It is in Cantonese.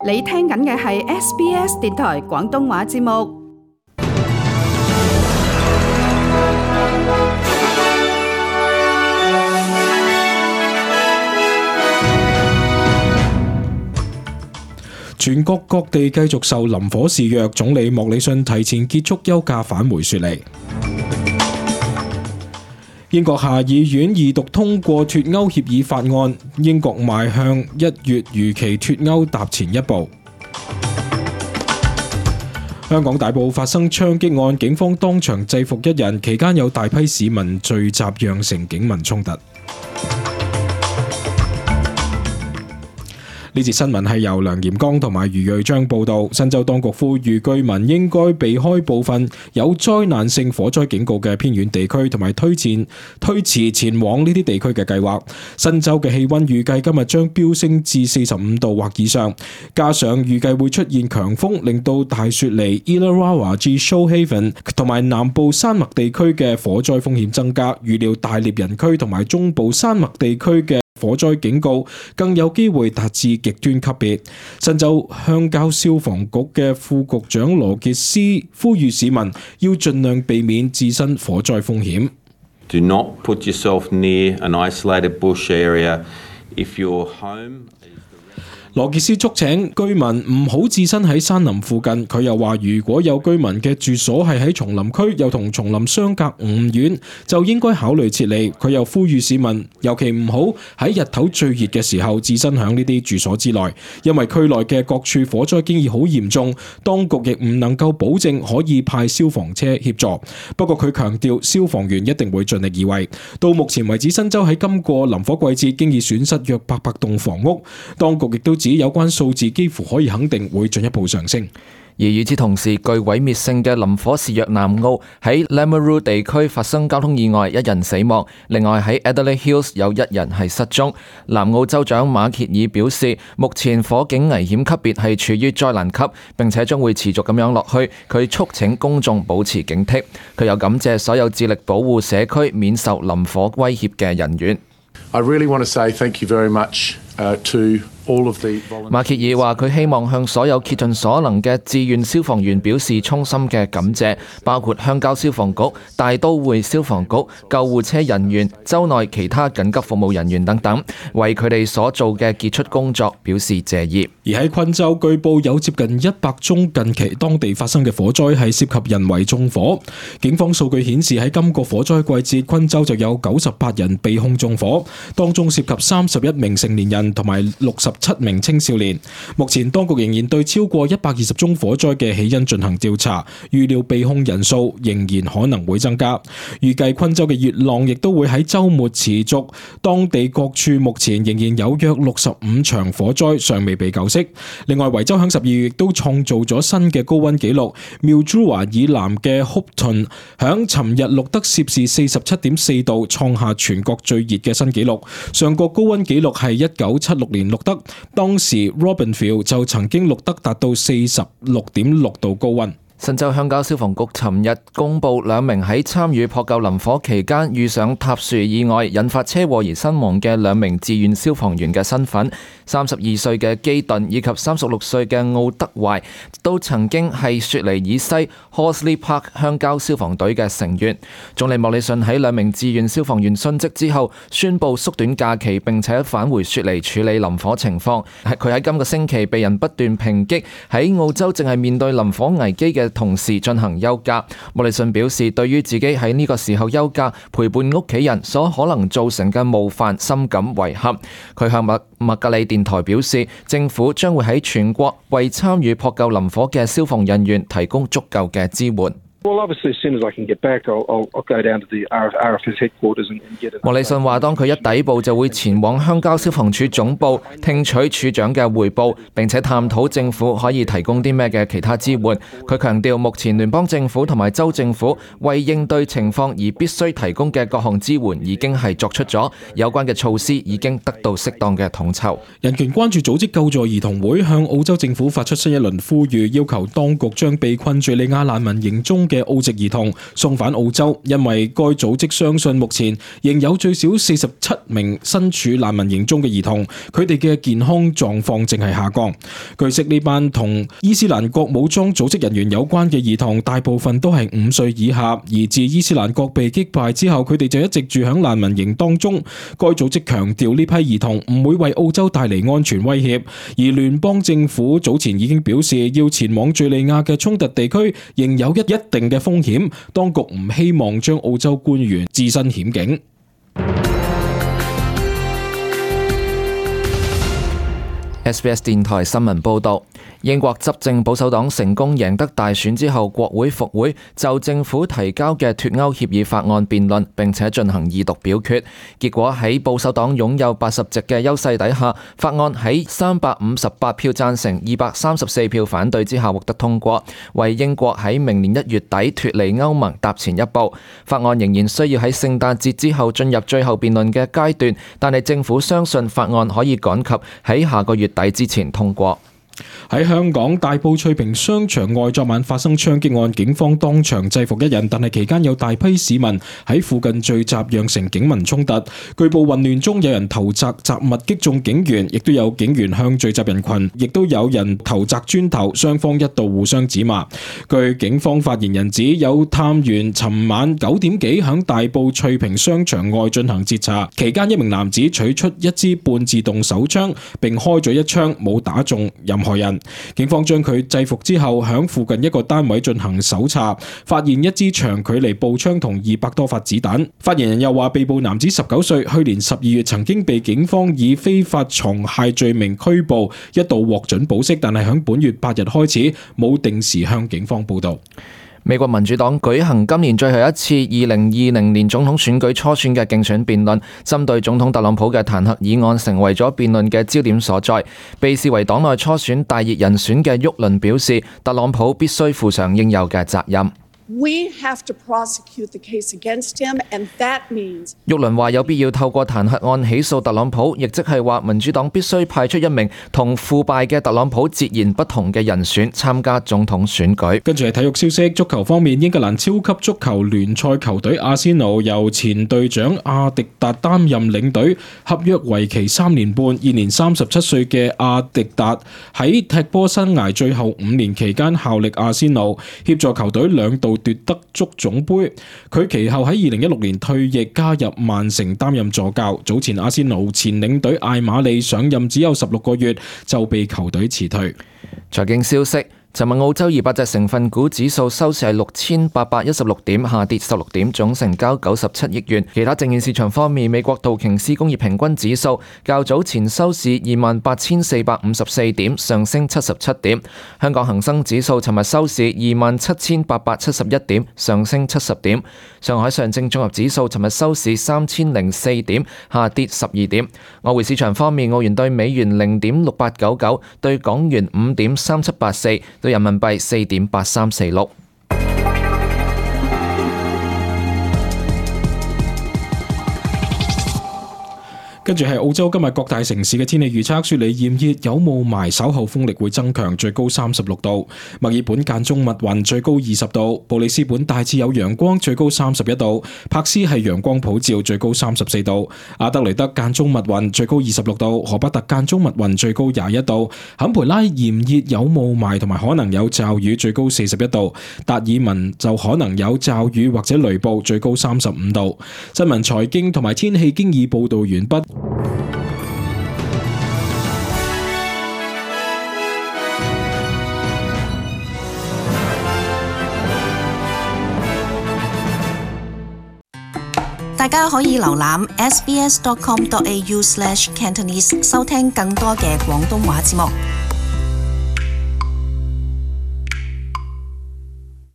你聽緊嘅係 SBS 電台廣東話節目。全國各地繼續受林火肆虐，總理莫里遜提前結束休假返回雪梨。英國下議院二讀通過脫歐協議法案，英國邁向1月如期脫歐踏前一步。香港大埔發生槍擊案，警方當場制服1人，期間有大批市民聚集，釀成警民衝突。呢節新聞係由梁炎剛同埋余瑞章報道。新州當局呼籲居民應該避開部分有災難性火災警告嘅偏遠地區，同埋推遲前往呢啲地區嘅計劃。新州嘅氣溫預計今日將飆升至45度或以上，加上預計會出現強風，令到大雪梨、Illawarra 至 Shoalhaven 同埋南部山脈地區嘅火災風險增加。預料大獵人區同埋中部山脈地區嘅火災警告更有機會達至極端級別。新州鄉郊消防局嘅副局長羅傑斯呼籲市民要盡量避免置身火災風險。Do not put yourself near an isolated bush area if your home。羅傑斯促請居民唔好置身喺山林附近。佢又話，如果有居民嘅住所係喺叢林區，又同叢林相隔5遠，就應該考慮撤離。佢又呼籲市民，尤其唔好喺日頭最熱嘅時候置身響呢啲住所之內，因為區內嘅各處火災經已好嚴重，當局亦唔能夠保證可以派消防車協助。不過佢強調，消防員一定會盡力而為。到目前為止，新州喺今個林火季節經已損失約800棟房屋，當局亦都指有關數字幾乎可以肯定會進一步上升。而與此同時，具毀滅性嘅林火肆虐南澳喺 Lameroo 地區發生交通意外，1人死亡。另外喺 Adelaide Hills 有1人係失蹤。南澳州長馬歇爾表示，目前火警危險級別係處於災難級，並且將會持續咁樣落去。佢促請公眾保持警惕。佢又感謝所有致力保護社區免受林火威脅嘅人員。I really want to say thank you very much to馬歇爾話佢希望向所有竭盡所能嘅志願消防員表示衷心嘅感謝，包括鄉郊消防局、大都會消防局、救護車人員、州內其他緊急服務人員等等，為佢哋所做嘅傑出工作表示謝意。而喺昆州，據報有接近100宗近期當地發生嘅火災係涉及人為縱火。警方數據顯示喺今個火災季節，昆州就有98人被控縱火，當中涉及31名成年人同埋67名青少年。目前當局仍然對超過120宗火災嘅起因進行調查，預料被控人數仍然可能會增加。預計昆州嘅熱浪亦都會喺週末持續，當地各處目前仍然有約65場火災尚未被救熄。另外，維州響12月亦都創造咗新嘅高溫紀錄，Mildura以南嘅 Hopeton 響尋日錄得攝氏47.4度，創下全國最熱嘅新紀錄。上個高溫紀錄係1976年錄得，當時 Robinville 就曾經錄得達到46.6度高溫。新州鄉郊消防局尋日公布2名喺參與撲救林火期間遇上塌樹意外引發車禍而身亡嘅2名志願消防員嘅身份。32歲嘅基頓以及36歲嘅奧德懷都曾經係雪梨以西 Horsley Park 鄉郊消防隊嘅成員。總理莫里遜喺2名志願消防員殉職之後，宣布縮短假期並且返回雪梨處理林火情況。佢喺今個星期被人不斷抨擊喺澳洲正係面對林火危機嘅同時進行休假。莫里遜表示，對於自己喺呢個時候休假陪伴屋企人所可能造成嘅冒犯深感遺憾。佢向麥格里電台表示，政府將會喺全國為參與撲救林火嘅消防人員提供足夠嘅支援。莫里遜話，當佢一抵埗就會前往鄉郊消防處總部聽取處長嘅彙報，並且探討政府可以提供啲咩嘅其他支援。佢強調，目前聯邦政府同埋州政府為應對情況而必須提供嘅各項支援已經係作出咗，有關嘅措施已經得到適當嘅統籌。人權關注組織救助兒童會向澳洲政府發出新一輪呼籲，要求當局將被困敘利亞難民營中嘅嘅澳籍兒童送返澳洲，因為該組織相信目前仍有最少47名身處難民營中嘅兒童，佢哋嘅健康狀況正係下降。據悉，呢班同伊斯蘭國武裝組織人員有關嘅兒童大部分都係5歲以下，而自伊斯蘭國被擊敗之後，佢哋就一直住響難民營當中。該組織強調呢批兒童唔會為澳洲帶嚟安全威脅，而聯邦政府早前已經表示要前往敘利亞嘅衝突地區仍有一定嘅風險，當局唔希望將澳洲官員置身險境。SBS 電台新聞報導，英國執政保守黨成功贏得大選之後，國會復會就政府提交嘅脫歐協議法案辯論，並且進行二讀表決。結果喺保守黨擁有80席嘅優勢底下，法案喺358票贊成、234票反對之下獲得通過，為英國喺明年1月底脫離歐盟踏前一步。法案仍然需要喺聖誕節之後進入最後辯論嘅階段，但係政府相信法案可以趕及喺下個月底之前通過。喺香港大埔翠屏商場外昨晚發生槍擊案，警方當場制服一人，但係期間有大批市民喺附近聚集，釀成警民衝突。據報混亂中有人投擲雜物擊中警員，亦都有警員向聚集人群，亦都有人投擲磚頭，雙方一度互相指罵。據警方發言人指，有探員尋晚9點幾響大埔翠屏商場外進行截查，期間一名男子取出一支半自動手槍並開咗一槍，冇打中任何人。警方將佢制服之後，響附近一個單位進行搜查，發現一支長距離步槍同200多發子彈。發言人又話，被捕男子19歲，去年12月曾經被警方以非法藏械罪名拘捕，一度獲准保釋，但係響本月8日開始冇定時向警方報到。美國民主黨舉行今年最後一次2020年總統選舉初選嘅競選辯論，針對總統特朗普嘅彈劾議案成為咗辯論嘅焦點所在。被視為黨內初選大熱人選嘅沃倫表示，特朗普必須負上應有嘅責任。We have to prosecute the case against him, and that means 沃倫話有必要透過彈劾案起訴特朗普，亦即係話民主黨必須派出一名同腐敗嘅特朗普截然不同嘅人選參加總統選舉。跟住係體育消息，足球方面，英格蘭超級足球聯賽球隊阿仙奴由前隊長阿迪達擔任領隊，合約為期3年半。現年37歲嘅阿迪達喺踢波生涯最後5年期間效力阿仙奴，協助球隊2度奪得足總杯。佢其後喺2016年退役，加入曼城擔任助教。早前阿仙奴前領隊艾馬利上任只有16個月就被球隊辭退。財經消息，尋日澳洲200隻成分股指數收市係6816點，下跌16點，總成交97億元。其他證券市場方面，美國道瓊斯工業平均指數較早前收市28,454點，上升77點。香港恒生指數尋日收市27,871點，上升70點。上海上證綜合指數尋日收市3004點，下跌12點。外匯市場方面，澳元對美元0.6899，對港元5.3784，對人民幣4.8346。跟住係澳洲今日各大城市嘅天氣預測，雪梨炎熱有霧霾，稍後風力會增強，最高36度；墨爾本間中密雲，最高20度；布里斯本大致有陽光，最高31度；柏斯係陽光普照，最高34度；阿德雷德間中密雲，最高26度；荷伯特間中密雲，最高21度；坎培拉炎熱有霧霾同埋可能有驟雨，最高41度；達爾文就可能有驟雨或者雷暴，最高35度。新聞財經同埋天氣經已報道完畢。大家可以瀏覽 sbs.com.au/cantonese 收聽更多嘅廣東話節目。